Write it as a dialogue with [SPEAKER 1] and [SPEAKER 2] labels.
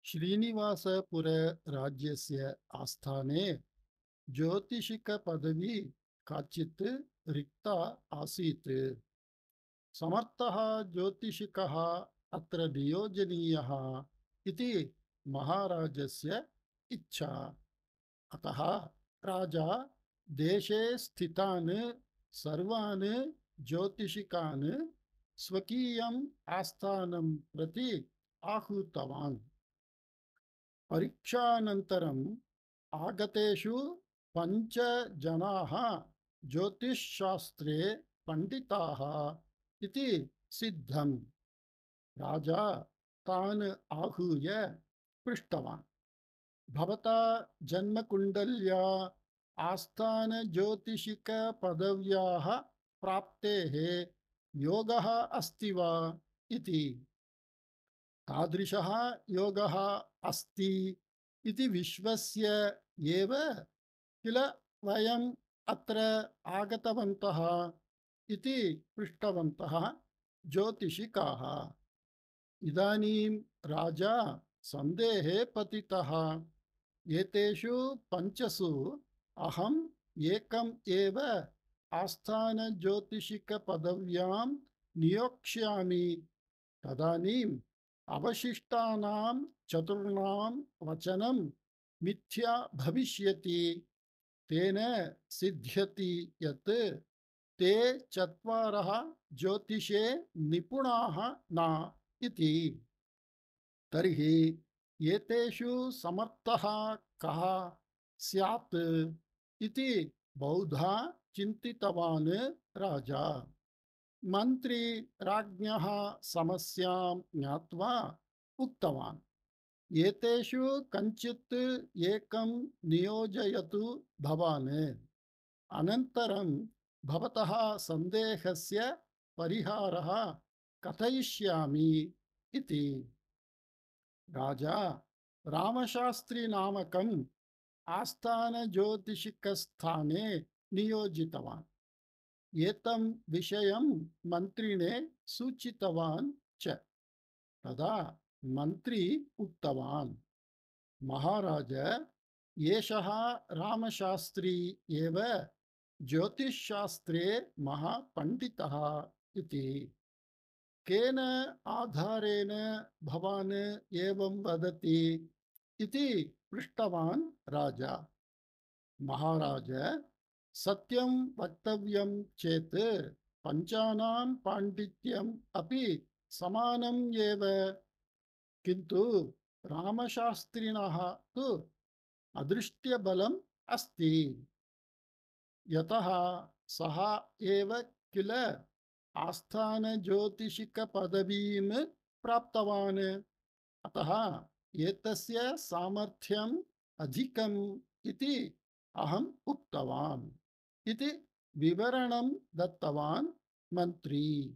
[SPEAKER 1] श्रीनिवासपुर राज्यस्य आस्थाने ज्योतिषिकपदवी काचित् रिक्ता आसीत्। समर्थः ज्योतिषिकः अत्र नियोजनीयः इति महाराजस्य इच्छा। अतः राजा देशे स्थितान् सर्वान् ज्योतिषिकान् स्वकीयम् आस्थानं प्रति आहूतवान्। परीक्षानन्तरम् आगतेषु 5 जनाः ज्योतिषशास्त्रे पण्डिताः इति सिद्धम्। राजा तान् आहूय पृष्टवान्, भवता जन्मकुण्डल्या आस्थानज्योतिषिकपदव्याः प्राप्तेः योगः अस्ति वा इति। तादृशः योगः अस्ति इति विश्वस्य एव किल वयम् अत्र आगतवन्तः इति पृष्टवन्तः ज्योतिषिकाः। इदानीं राजा सन्देहे पतितः। एतेषु 5 अहम् एकम् एव आस्थानज्योतिषिकपदव्यां नियोक्ष्यामि। तदानीम् अवशिष्टानां 4 वचनं मिथ्या भविष्यति। तेन सिद्ध्यति यत् ते 4 ज्योतिषे निपुणाः न इति। तर्हि एतेषु समर्थः कः स्यात् इति बहुधा चिन्तितवान् राजा। मन्त्री राज्ञः समस्यां ज्ञात्वा उक्तवान्, एतेषु कञ्चित् एकं नियोजयतु भवान्। अनन्तरं भवतः सन्देहस्य परिहारः कथयिष्यामि इति। राजा रामशास्त्री नामकम् आस्थानज्योतिषिकस्थाने नियोजितवान्। एतं विषयं मन्त्रिणे सूचितवान् च। तदा मन्त्री उक्तवान्, महाराज, एषः रामशास्त्री एव ज्योतिषशास्त्रे महापण्डितः इति। केन आधारेण भवान् एवं वदति इति पृष्टवान् राजा। महाराज, सत्यं वक्तव्यं चेत् 5 पाण्डित्यम् अपि समानम् एव, किन्तु रामशास्त्रिणः तु अदृष्ट्यबलम् अस्ति। यतः सः एव किल आस्थानज्योतिषिकपदवीं प्राप्तवान्। अतः एतस्य सामर्थ्यम् अधिकम् इति अहम् उक्तवान् इति विवरणं दत्तवान् मन्त्री।